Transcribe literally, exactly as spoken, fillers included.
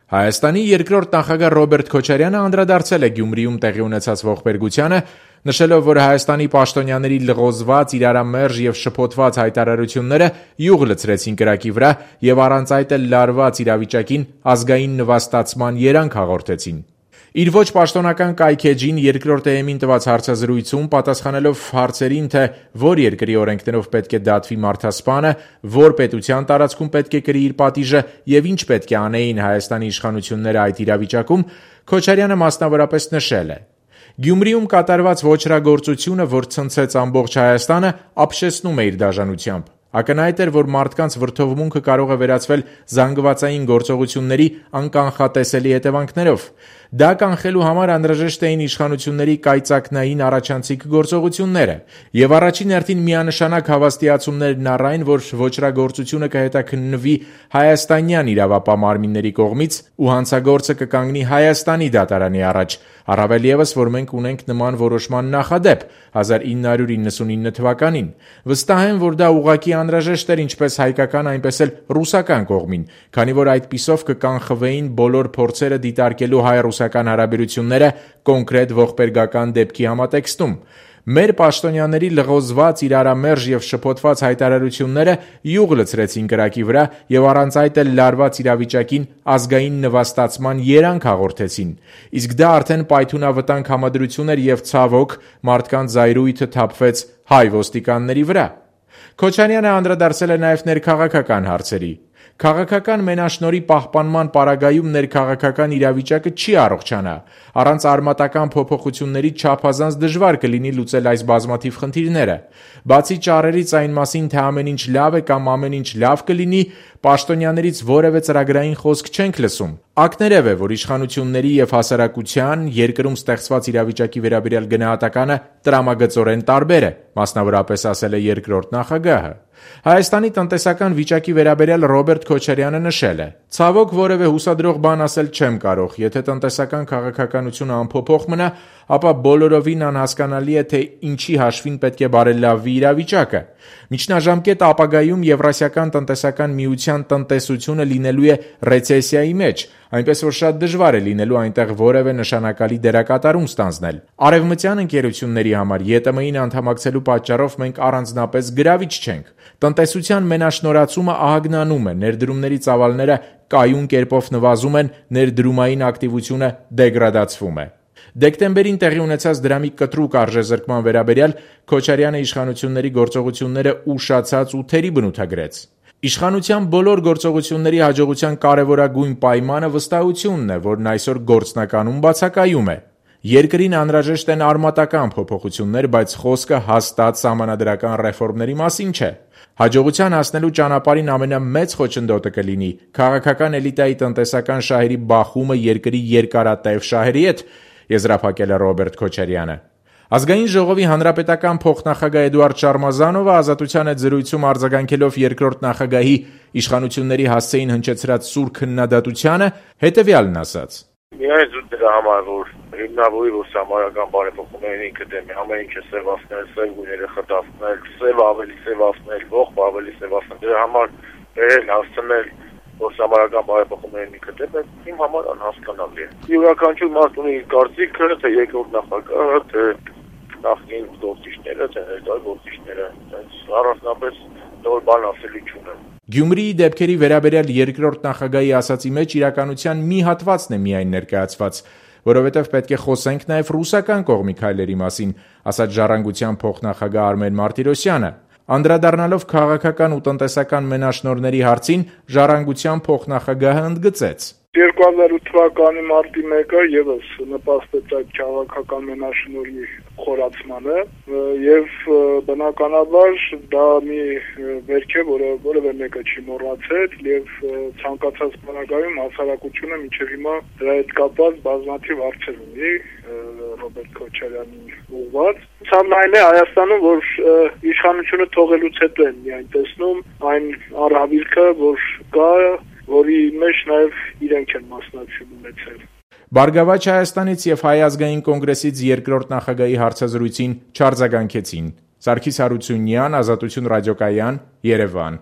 Հայաստանի երկրորդ նախագահ Ռոբերտ Քոչարյանը անդրադարձել է Գյումրիում տեղի ունեցած ողբերգությանը, նշելով, որ Հայաստանի պաշտոնյաների լղոզված, իրարամերժ եւ շփոթված հայտարարությունները յուղ լցրեցին կրակի վրա եւ առանց այդ էլ լարված իրավիճակին ազգային նվաստացման երանգ հաղորդեցին։ Իր ոչ պաշտոնական կայքեջին երկրորդ էեմին տված հարցազրույցում պատասխանելով հարցերին, թե որ երկրի օրենքներով պետք է դատվի մարդասպանը, որ պետության տարածքում պետք է կրի իր պատիժը եւ ինչ պետք է անեին Հայաստանի իշխանությունները այդ իրավիճակում, Քոչարյանը մասնավորապես նշել է. Գյումրիում կատարված ոչրագործությունը, որ ցնցեց ամբողջ Հայաստանը, ապշեցնում է իր դաժանությամբ։ Ակնհայտ էր, որ մարդկանց վրդովմունքը կարող է վերածվել զանգվածային գործողությունների անկանխատեսելի հետևանքներով։ Դա կանխելու համար անհրաժեշտ էին իշխանությունների կայծակնային առաջանցիկ գործողությունները, եւ առաջին հերթին միանշանակ հավաստիացումներն առ այն, որ ոչրագործությունը կհետաքննվի հայաստանյան իրավապահ մարմինների կողմից ու հանցագործը կկանգնի Հայաստանի դատարանի առաջ, առավել ևս, որ մենք ունենք նման որոշման նախադեպ հազար ինը հարյուր իննսունինը թվականին։ Վստահ եմ, որ դա ուղղակի անհրաժեշտ էր ինչպես հայկական, այնպես էլ ռուսական կողմին, քանի որ այդպիսով կկանխվեին բոլոր փորձերը դիտարկելու հայ-ռուսական հարաբերությունները կոնկրետ ողբերգական դեպքի համատեքստում։ Մեր պաշտոնյաների լղոզված, իրարամերժ եւ շփոթված հայտարարությունները յուղ լցրեցին կրակի վրա եւ առանց այդ էլ լարված իրավիճակին ազգային նվաստացման երանգ հաղորդեցին։ Իսկ դա արդեն պայթունավտանգ համադրություն էր եւ ցավոք մարդկանց զայրույթը թափվեց հայ ոստիկանների վրա։ Քոչարյանը անդրադարձել է նաեւ ներքաղաքական հարցերի։ Քաղաքական մենաշնորհի պահպանման պարագայում ներքաղաքական իրավիճակը չի առողջանա։ Առանց արմատական փոփոխությունների չափազանց դժվար կլինի լուծել այս բազմաթիվ խնդիրները։ Բացի ճառերից այն մասին, թե ամեն ինչ լավ է կամ ամեն ինչ լավ կլինի, պաշտոնյաներից որևէ ծրագրային խոսք չենք լսում։ Ակներև է, որ իշխանությունների եւ հասարակության երկրում ստեղծված իրավիճակի վերաբերյալ գնահատականը տրամագծորեն տարբեր է, մասնավորապես ասել է երկրորդ նախագահը։ Հայաստանի տնտեսական վիճակի վերաբերյալ Ռոբերտ Քոչարյանը նշել է. Ցավոք որևէ հուսադրող բան ասել չեմ կարող, եթե տնտեսական քաղաքականությունը անփոփոխ մնա, ապա բոլորովին անհասկանալի է, թե ինչի հաշվին պետք է բարելավվի իրավիճակը։ Միջնաժամկետ ապագայում Եվրասիական տնտեսական միության տնտեսությունը լինելու է ռեցեսիայի մեջ, այնպես որ շատ դժվար է լինելու այնտեղ որևէ նշանակալի դերակատարում ստանձնել։ Արևմտյան ընկերությունների համար ԵՏՄ-ին անդամակցելու պատճառով մենք առանձնապես գրավիչ չենք։ Տնտեսության մենաշնորհացումը ահագնանում է, ներդրումների ծավալները կայուն կերպով նվազում են, ներդրումային ակտիվությունը դեգրադացվում է։ Դեկտեմբերին տեղի ունեցած դրամի կտրուկ արժեզրկման վերաբերյալ Քոչարյանը իշխանությունների գործողությունները ուշացած ու թերի բնութագրեց։ Իշխանության բոլոր գործողությունների հաջողության կարևորագույն պայմանը վստահությունն է, որն այսօր գործնականում բացակայում է։ Երկրին անհրաժեշտ են արմատական փոփոխություններ, բայց խոսքը հաստատ սահմանադրական ռեֆորմների մասին չէ։ Հաջողության հասնելու ճանապարհին ամենամեծ խոչընդոտը կլինի քաղաքական էլիտայի տնտեսական շահերի բախումը երկրի երկարատև շահերի հետ, եզրափակել է Ռոբերտ Քոչարյանը։ Ազգային ժողովի հանրապետական փոխնախագահ Էդուարդ Շարմազանովը Ազատության հետ զրույցում արձագանքելով երկրորդ նախագահի իշխանությունների հասցեին հնչեցրած սուր քննադատությանը հետևյալն ասաց. Միայն զուտ դրա համար, որ հիմնավորի ռուսամարական բարեփոխումների ինքը դեմ է, ամեն ինչը սևացնել, սև գույները խտացնել, սև ավելի սևացնել, ողբ ավելի սևացնել, դրա համար բերել, հասցնել ռուսամարական բարեփոխումների ինքը դեմ է, իմ համար անհասկանալի է։ Յուրաքանչյուր մարդ ունի իր կարծիքը, թե երկրորդ նախագահը, թե նախկին գործիչները, թե ներկայ գործիչները, առանձնապես նոր բան ասելու չունեմ։ Գյումրիի դեպքերի վերաբերյալ երկրորդ նախագահի ասացի մեջ իրականության մի հատվածն է միայն ներկայացված, որովհետև պետք է խոսենք նաև ռուսական կողմի քայլերի մասին, ասաց Ժառանգության փոխնախագահ Արմեն Մարտիրոսյանը։ Անդրադառնալով քաղաքական ու տնտեսական մենաշնորհների հարցին, Ժառանգության փոխնախագահը ընդգծեց. երկու հազար ութ թվականի մարտի մեկը ևս նպաստեց այդ քաղաքական մենաշնորհի խորացմանը եւ բնականաբար դա մի վերք է, որը որևէ մեկը չի մոռացել եւ ցանկացած բանակայում հասարակությունը մինչեւ հիմա դրա հետ կապված բազմաթիվ հարցեր ունի Ռոբերտ Քոչարյանի ուղղված։ Ցավն այն է Հայաստանում, որ իշխանությունը թողելուց հետո են միայն տեսնում այն առավիլքը, որ կա, որի մեջ նաև իրենք են մասնակցություն ունեցել։ Բարգավաճ Հայաստանից եւ Հայ ազգային կոնգրեսից երկրորդ նախագահի հարցազրույցին չարձագանքեցին։ Սարգիս Հարությունյան, Ազատություն ռադիոկայան, Երևան։